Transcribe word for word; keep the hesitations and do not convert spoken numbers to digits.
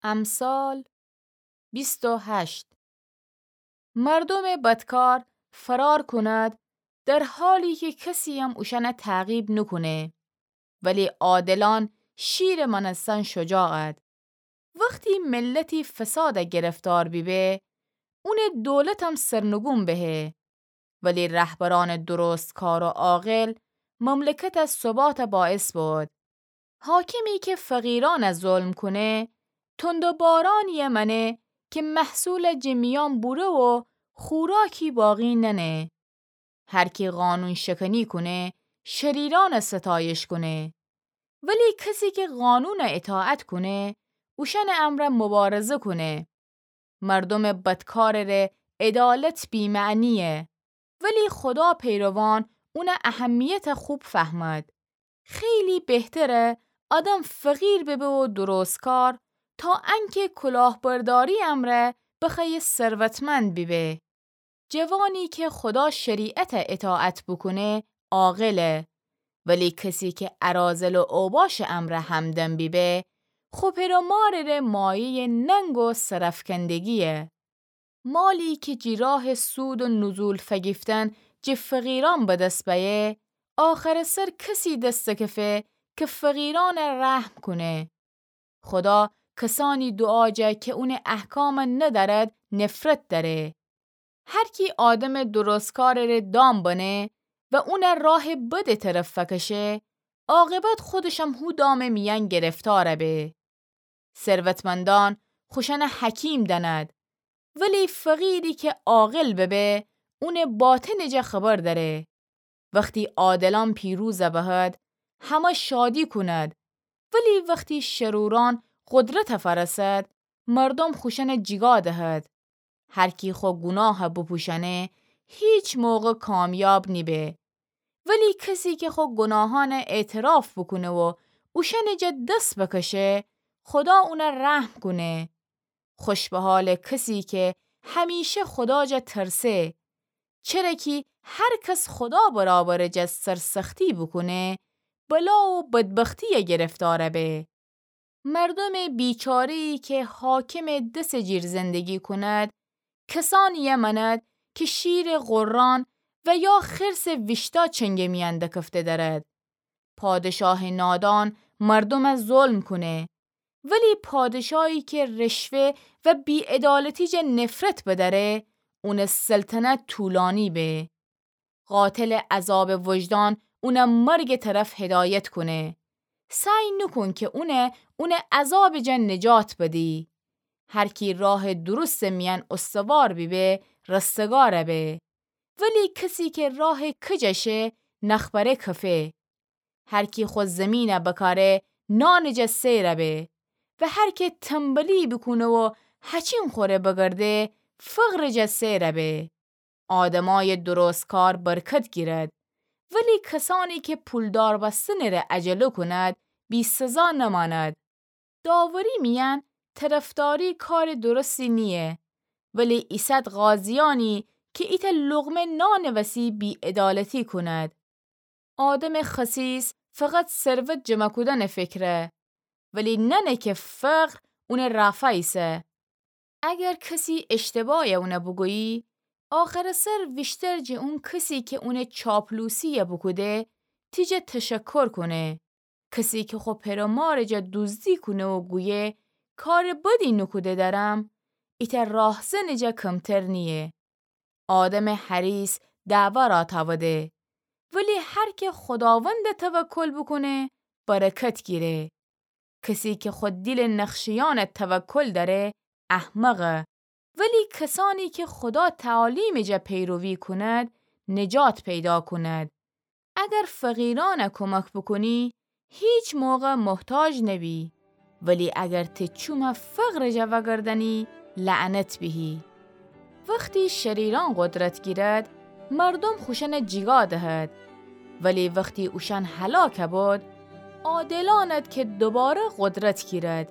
امثال بیست و هشت. مردومٚ بدکار فرار کند، در حالی کی کسییم اوشأن تعقیب نوکونه، ولی عادلأن شیرٚ مأنستن شجاعد. وختی ملتی فساد گرفتار بیبه، اونٚ دولتم سرنگون بهه، ولی رهبرأنٚ درستکار و عاقل مملکت ثبات باعث بود. حاکمی کی فقیرأن ظلم کونه، تندوبارأنی مأنه کی محصول جٚه میأن بوره و خوراکی باقی نأنه. هر کی قانون شکنی کونه، شریرأن ستایش کونه. ولی کسی کی قانون اطاعت کونه، اوشأنٚ امرأ مبارزه کونه. مردومٚ بدکارٚ ره عدالت بی‌معنیه، ولی خدا پیروان اون اهمیت خوب فهمد. خیلی بهتره آدم فقیر ببه و درستکار تا انکه کلاهبرداری امرأ بخوأیه ثروتمند بیبه. جوانی کی خدا شریعت اطاعت بوکونه عاقله، ولی کسی کی اراذل و اوباشٚ امرأ همدم بیبه، خو پئر و مارٚ ره مایه‌یٚ ننگ و سرافکندگیه. مالی کی جٚه راهٚ سود و نزول فگیفتن جٚه فقیرأن به دس بأیه، آخرٚ سر کسی دس دکفه کی فقیرأن رحم کونه. خدا کسأنی دوعا جه کی اونٚ احکام ندأرد نفرت دأره. هر کی آدمٚ درستکارٚ ره دام بنه و اون راهٚ بدٚ طرف فکشه، عاقبت خودشم هو دامٚ میأن گرفتار به. ثروتمندأن خوشأن حکیم دأند، ولی فقیری کی عاقل ببه، اونٚ باطنٚ جا خبر دأره. وختی عادلأن پیروز بهد، همه شادی کند، ولی وختی شرورأن قدرت فرسد، مردوم خوشأن جیگا دهد. هر کی خو گوناه بوپوشأنه، هیچ موقع کامیاب نیبه. ولی کسی کی خو گوناهأن اعتراف بوکونه و اوشأنٚ جا دس بکشه، خدا اون رحم کونه. خوش به حالٚ کسی کی همیشه خدا جا ترسه، چره کی هر کس خدا برابرٚ جا سرسختی بوکونه، بلا و بدبختی گرفتار به. مردومٚ بیچاره‌یی کی حاکمٚ دسٚ جیر زندگی کند، کسأنی مأند کی شیرٚ غران و یا خرسٚ ویشتا چنگٚ میأن دکفته دأرد. پادشاهٚ نادان مردوم ظلم کونه، ولی پادشاهی کی رشوه و بی‌عدالتی جا نفرت بدأره، اونٚ سلطنت طولانی به. قاتل عذابٚ وجدان اون مرگٚ طرف هدایت کونه. سعی نوکون کی اون، اون عذابٚ جا نجات بدی. هر کی راهٚ درستٚ میأن استوار بیبه، رستگار به. ولی کسی کی راه کج شه، نخبره کفه. هر کی خو زیمین بکاره، نانٚ جا سیر به. و هر کی تنبلی بوکونه و هچین خوره بگرده، فقرٚ جا سیر به. آدمأیٚ درستکار برکت گیرد، ولی کسأنی کی پولدار بستنٚ ره عجله کند، بی‌سزا نمأند. داوری میأن طرفداری کارٚ درستی نییه، ولی ایسد قاضیأنی کی ایتأ لقمه نانٚ وسی بی‌عدالتی کند. آدمٚ خسیس فقط ثروت جمع کودنٚ فکره، ولی نأنه کی فقر اونٚ رافا ایسه. اگر کسی اشتباه اون بوگویی، آخرٚ سر ویشتر جٚه اون کسی کی اون چاپلوسی بوکوده، تی جا تشکر کونه. کسی کی خو پئر و مارٚ جا دوزدی کونه و گویه، کارٚ بدی نوکوده دأرم، ایتأ راهزنٚ جا کمتر نییه. آدمٚ حریص دعوا را تاوده، ولی هر کی خوداوند توکل بوکونه، برکت گیره. کسی کی خو دیلٚ نخشیأن توکل دأره، احمقه. ولی کسأنی کی خودا تعالیمٚ جا پیروی کند، نجات پیدا کند. اگر فقیرأن کمک بوکونی، هیچ موقع محتاج نبی. ولی اگر تی چوم فقرٚ جا وأگردأنی، لعنت بیهی. وختی شریرأن قدرت گیرد، مردوم خوشأن جیگا دهد. ولی وختی اوشأن هلاک بود، عادلأنت کی دوباره قدرت گیرد،